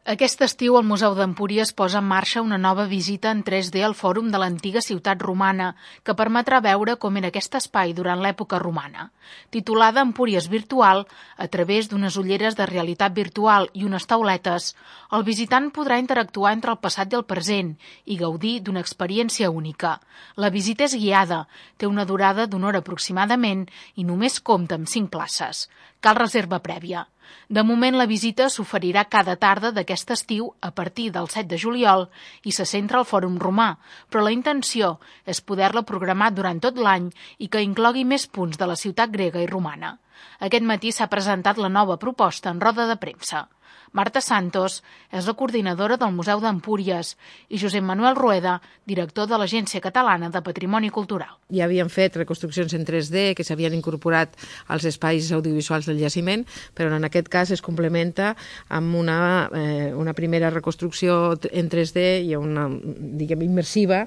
Aquest estiu el Museu d'Empúries posa en marxa una nova visita en 3D al Fòrum de l'antiga ciutat romana, que permetrà veure com era aquest espai durant l'època romana. Titulada Empúries Virtual, a través d'unes ulleres de realitat virtual i unes tauletes, el visitant podrà interactuar entre el passat i el present i gaudir d'una experiència única. La visita és guiada, té una durada d'una hora aproximadament i només compta amb 5 places. Cal reserva prèvia. De moment, la visita s'oferirà cada tarda d'aquest estiu a partir del 7 de juliol i se centra al Fòrum Romà, però la intenció és poder-la programar durant tot l'any i que inclogui més punts de la ciutat grega i romana. Aquest matí s'ha presentat la nova proposta en roda de premsa. Marta Santos és la coordinadora del Museu d'Empúries i Josep Manuel Rueda, director de l'Agència Catalana de Patrimoni Cultural. Ja havien fet reconstruccions en 3D que s'havien incorporat als espais audiovisuals del jaciment, però en aquest cas es complementa amb una primera reconstrucció en 3D i una, diguem, immersiva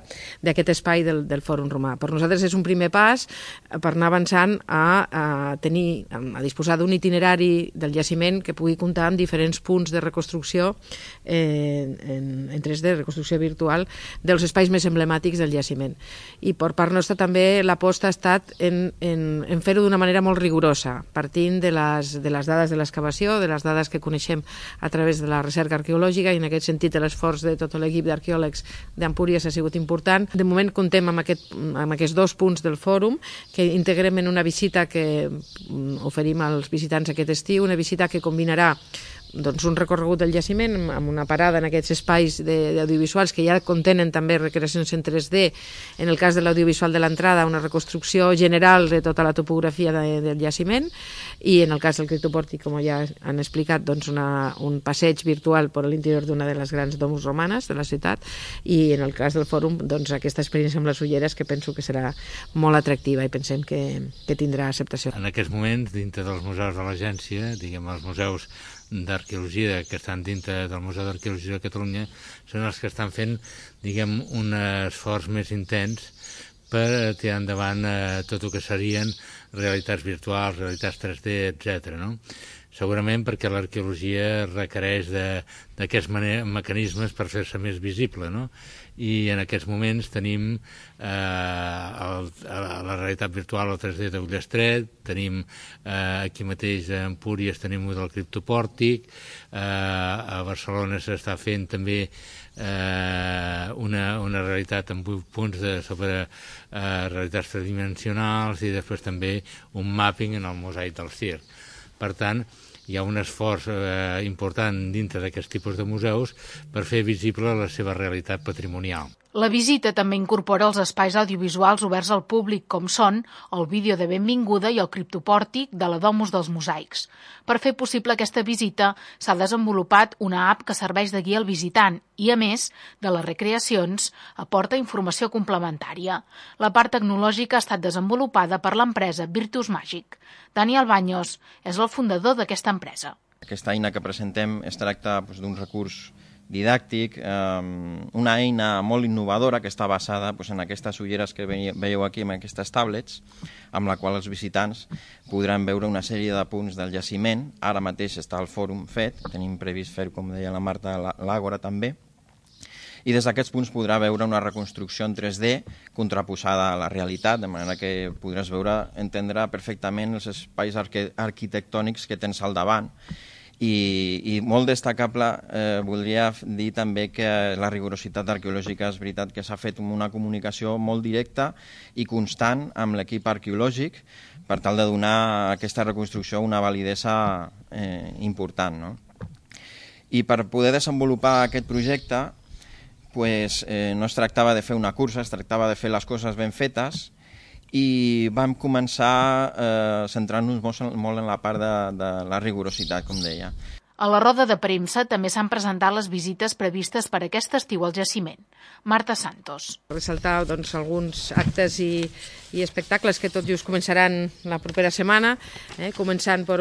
d'aquest espai del Fòrum Romà. Per nosaltres és un primer pas per anar avançant a disposar d'un itinerari del jaciment que pugui comptar amb diferents punts de reconstrucció en 3D, reconstrucció virtual, dels espais més emblemàtics del jaciment. I per part nostra també l'aposta ha estat en fer-ho d'una manera molt rigorosa, partint de les dades de l'excavació, de les dades que coneixem a través de la recerca arqueològica, i en aquest sentit l'esforç de tot l'equip d'arqueòlegs d'Empúries ha sigut important. De moment comptem amb aquests 2 punts del fòrum que integrem en una visita que oferim als visitants aquest estiu, una visita que combinarà un recorregut del jaciment amb una parada en aquests espais d'audiovisuals que ja contenen també recreacions en 3D. En el cas de l'audiovisual de l'entrada, una reconstrucció general de tota la topografia del jaciment, i en el cas del criptopòrtic, com ja han explicat, un passeig virtual per l'interior d'una de les grans domus romanes de la ciutat, i en el cas del fòrum aquesta experiència amb les ulleres, que penso que serà molt atractiva i pensem que tindrà acceptació. En aquests moments, dintre dels museus de l'agència, diguem els museus d'arqueologia que estan dintre del Museu d'Arqueologia de Catalunya són els que estan fent, diguem, un esforç més intens per tirar endavant tot el que serien realitats virtuals, realitats 3D, etc. No? Segurament perquè l'arqueologia requereix d'aquests mecanismes per fer-se més visible, no? I en aquests moments tenim la realitat virtual, el 3D d'Ullestret, tenim aquí mateix a Empúries tenim un del criptopòrtic, a Barcelona s'està fent també una realitat amb 8 punts sobre realitats tridimensionals, i després també un mapping en el mosaic del circ. Per tant, hi ha un esforç important dintre d'aquests tipus de museus per fer visible la seva realitat patrimonial. La visita també incorpora els espais audiovisuals oberts al públic, com són el vídeo de benvinguda i el criptopòrtic de la Domus dels Mosaics. Per fer possible aquesta visita s'ha desenvolupat una app que serveix de guia al visitant i, a més de les recreacions, aporta informació complementària. La part tecnològica ha estat desenvolupada per l'empresa Virtus Magic. Daniel Baños és el fundador d'aquesta empresa. Aquesta eina que presentem es tracta d'un recurs didàctic, una eina molt innovadora que està basada en aquestes ulleres que veieu aquí, en aquestes tablets, amb la qual els visitants podran veure una sèrie de punts del jaciment. Ara mateix està el fòrum fet, tenim previst fer, com deia la Marta, l'àgora també, i des d'aquests punts podrà veure una reconstrucció en 3D contraposada a la realitat, de manera que podràs entendre perfectament els espais arquitectònics que tens al davant. I molt destacable, voldria dir també que la rigorositat arqueològica és veritat que s'ha fet una comunicació molt directa i constant amb l'equip arqueològic per tal de donar a aquesta reconstrucció una validesa important, no? I per poder desenvolupar aquest projecte no es tractava de fer una cursa, es tractava de fer les coses ben fetes, i vam començar centrant-nos molt en la part de la rigorositat, com deia. A la roda de premsa també s'han presentat les visites previstes per aquest estiu al jaciment. Marta Santos. Ressaltar alguns actes i espectacles que tot just començaran la propera setmana, començant per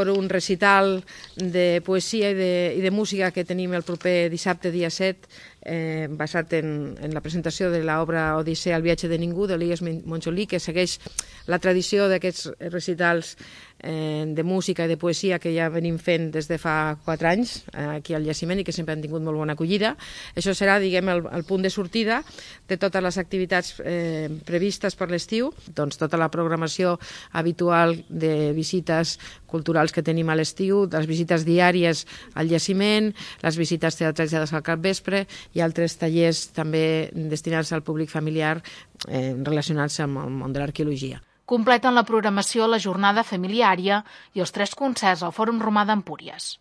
un recital de poesia i de música que tenim el proper dissabte, dia 7, basat en la presentació de l'obra Odissea, el viatge de ningú, d'Elias Montjolí, que segueix la tradició d'aquests recitals de música i de poesia que ja venim fent des de fa 4 anys aquí al jaciment i que sempre han tingut molt bona acollida. Això serà, diguem, el punt de sortida de totes les activitats previstes per l'estiu, doncs tota la programació habitual de visites culturals que tenim a l'estiu, les visites diàries al jaciment, les visites teatralitzades al capvespre i altres tallers també destinats al públic familiar relacionats amb el món de l'arqueologia. Completen la programació la jornada familiària i els 3 concerts al Fòrum Romà d'Empúries.